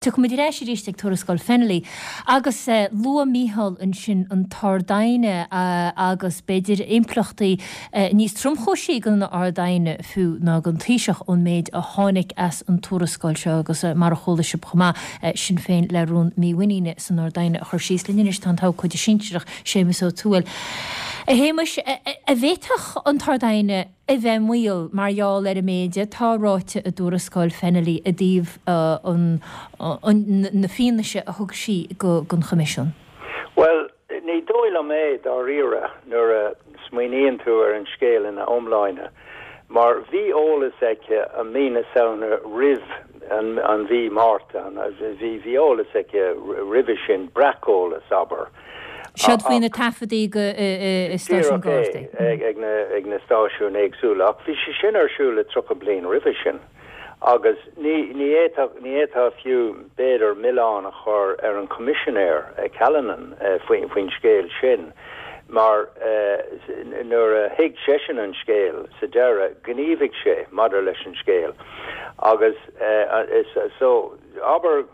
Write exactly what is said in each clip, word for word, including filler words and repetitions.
Tiocfaimid ar ais arís ag Tuarascáil Fennelly agus luaigh Mícheál ansin an tArd-Aighne agus b'fhéidir impleachtaí níos tromchúisí don Ard-Aighne fiú ná don Taoiseach ón méid a tháinig as an tuarascáil seo agus mar a chuala sibh chomh maith Sinn Féin le rún mímhuiníne san Ard-Aighne a chur síos. Linn anois tá an t-abhcóide sinsearach Séamus Ó Tuathail. A Shéamais, an bhféadfadh an tArd-Aighne a bheith i mbaol mar gheall ar an méid atá ráite i dtuarascáil Fennelly i dtaobh na fianaise a thug sí don Choimisiún? Bhuel, ní dóigh liom é dáiríre nuair a smaoiníonn tú ar an scéal ina iomláine, mar bhí eolas aici i mí na Samhna roimh an mhí Márta, bhí bhí eolas aici roimhe sin, breaceolas, abair. Siod faoi na taifeadaí go stáisiún Gardaí. Ag na ag na stáisiúin éagsúla, ach bhí sé sin ar siúl le tríocha bliain roimhe sin agus ní ní fhéadfadh ní fhéadfá fiú b'fhéidir milleán a chur ar an Choimisinéir Callanan faoin faoin scéal sin mar nuair a thuig seisean an scéal sa deireadh ghníomhaigh sé maidir leis an scéal agus is so abair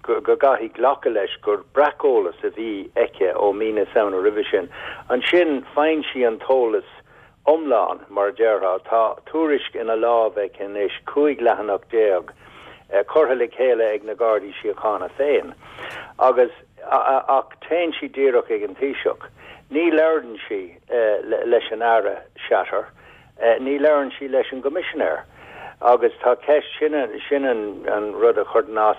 go gcaithfidh glacadh leis gur breaceolas a bhí aici ó mí na Samhna roimhe sin. Ansin faigheann sí an t-eolas iomlán, mar a déarfá. Tá tuairisc ina lámh aici anois, cúig leathanach déag, curtha le chéile ag na Gardaí Síochána féin. Agus ach téann sí díreach ag an Taoiseach. Ní labhrann sí leis an Aire Shatter. Ní labhrann sí leis an gCoimisinéir. Agus tá ceist, sin sin an rud a chuireann as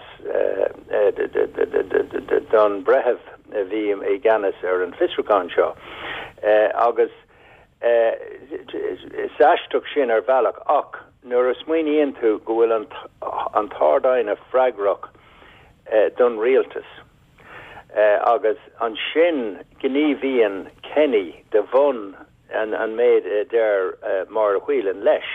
don bhreitheamh a bhí i gceannas ar an bhfiosrúchán seo. Agus is aisteach sin ar bhealach ach nuair a smaoiníonn tú go bhfuil an an tArd-Aighne freagrach don rialtas agus ansin gníomhaíonn Kenny de bhun an an méid a deir Máire Whelan leis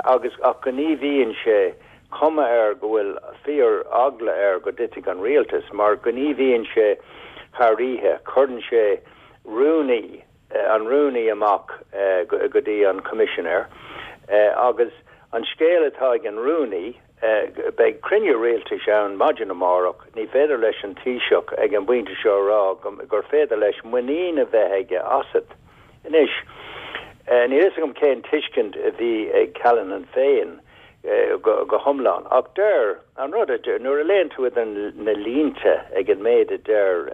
agus ach gníomhaíonn sé cuma air go bhfuil fíor eagla air go dtitfidh an rialtas mar gníomhaíonn sé thar oíche, cuireann sé rúnaí an rúnaí amach go dtí an Coimisinéir agus an scéal atá ag an rúnaí beidh cruinniú rialtais ann maidin amárach, ní féidir leis an Taoiseach ag an bpointe seo a rá gur féidir leis muinín a bheith aige asat. Anois, níl fhios agam cén tuiscint a bhí ag Callanan féin go go hiomlán, ach deir an rud a deir, nuair a léann tú idir na línte ag an méid a deir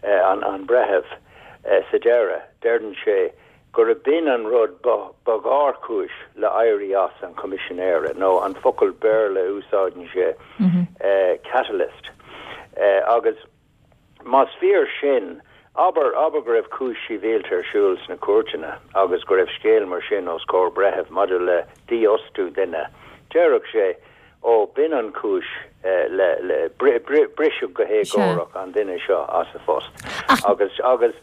an an breitheamh sa deireadh, deireann sé gurb b'in an rud ba ba ghéarchúis le éirí as an Choimisinéara, nó an focal Béarla a úsáideann sé, catalyst. Agus más fíor sin, abair abair go raibh cúis shibhialta ar siúl sna cúirteanna agus go raibh scéal mar sin os comhair breithimh maidir le dífhostú duine, déarfadh sé, ó, b'in an chúis le le briseadh go héagórach an duine seo as a phost. Agus agus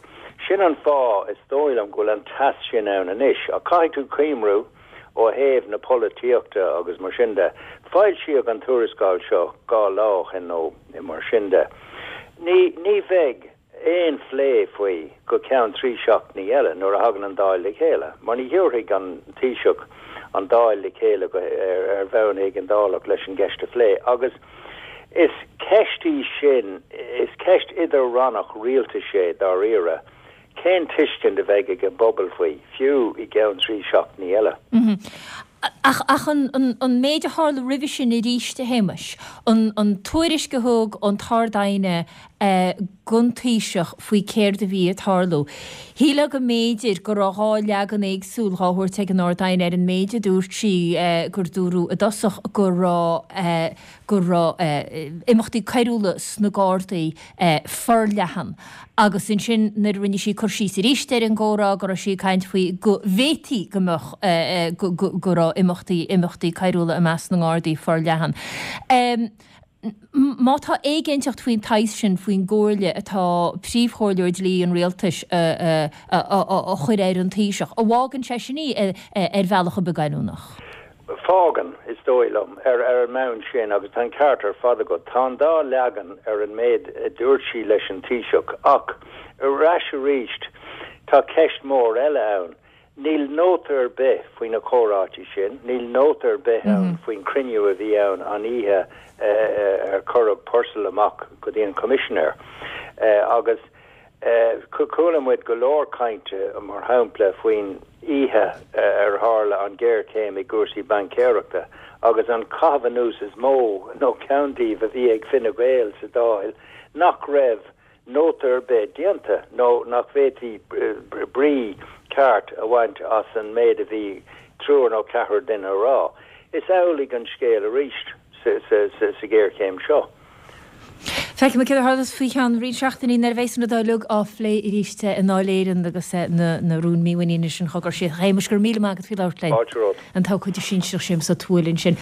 sin an fáth is dóigh liom go bhfuil an teas sin ann anois. Ach caithfidh tú cuimhniú ó thaobh na polaitíochta agus mar sin de. Foilsíodh an tuarascáil seo dhá lá ó shin nó mar sin de. Ní ní bheidh aon phlé faoi go ceann trí seachtainí eile nuair a thagann an Dáil le chéile, mar ní thabharfaidh an Taoiseach an Dáil le chéile go ar ar bhonn éigeandálach leis an gceist a phlé. Agus is ceist í sin, is ceist idir-rannach rialtais é dáiríre. Cén tuiscint a bheidh ag an bpobal faoi, fiú i gceann trí seachtainí eile? Ach ach an an an méid a tharla roimhe sin arís, a Shéamais, an an tuairisc a thug an tArd-Aighne don Taoiseach faoi céard a bhí ag tarlú. Shílfeá go mb'fhéidir go raibh dhá leagan éagsúil dhá thabhairt ag an Ard-Aighne ar an méid a dúirt sí gur dúradh i dtosach go raibh go raibh imeachtaí coiriúla sna Gardaí forleathan agus ansin nuair a rinne sí cur síos arís ar an gcomhrá go raibh sí ag caint faoi go bhféadfaí go mbeadh go raibh imeachtaí imeachtaí coiriúla i measc na nGardaí forleathan. Má tá éiginnteacht faoin tsaghas sin faoin gcomhairle atá príomhchomhairleoir dlí an rialtais á chur ar an Taoiseach, an bhfágann sé sin í ar bhealach ar bith goilliúnach? Fágann, is dóigh liom, ar ar an mbonn sin, agus tá an ceart ar fad agat, tá an dá leagan ar an méid a dúirt sí leis an Taoiseach. Ach ar ais arís, tá ceist mhór eile ann. Níl nóta ar bith faoi na comhráití sin, níl nóta ar bith ann faoin cruinniú a bhí ann an oíche ar cuireadh Purcell amach go dtí an Coimisinéir. Agus chuala muid go leor cainte mar shampla faoin oíche ar tharla an ghéarchéim i gcúrsaí baincéireachta agus an caitheamh anuas is mó nó ceann díobh a bhí ag Fine Gael sa Dáil nach raibh nóta ar bith déanta nó nach bhféadfaí brí ceart a bhaint as an méid a bhí triúr nó ceathrar duine a rá. Is amhlaidh an scéal arís sa ghéarchéim seo. Feicfimid céard a tharlós faoi cheann roinnt seachtainí nuair a bheas an rud uilig á phlé arís i nDáil Éireann agus na rúin mímhuiníne sin á gcur síos. A Shéamais, go raibh míle maith agat faoi labhairt linn. Fáilte romhat. An t-abhcóide sinsearach Séamus Ó Tuathail ansin.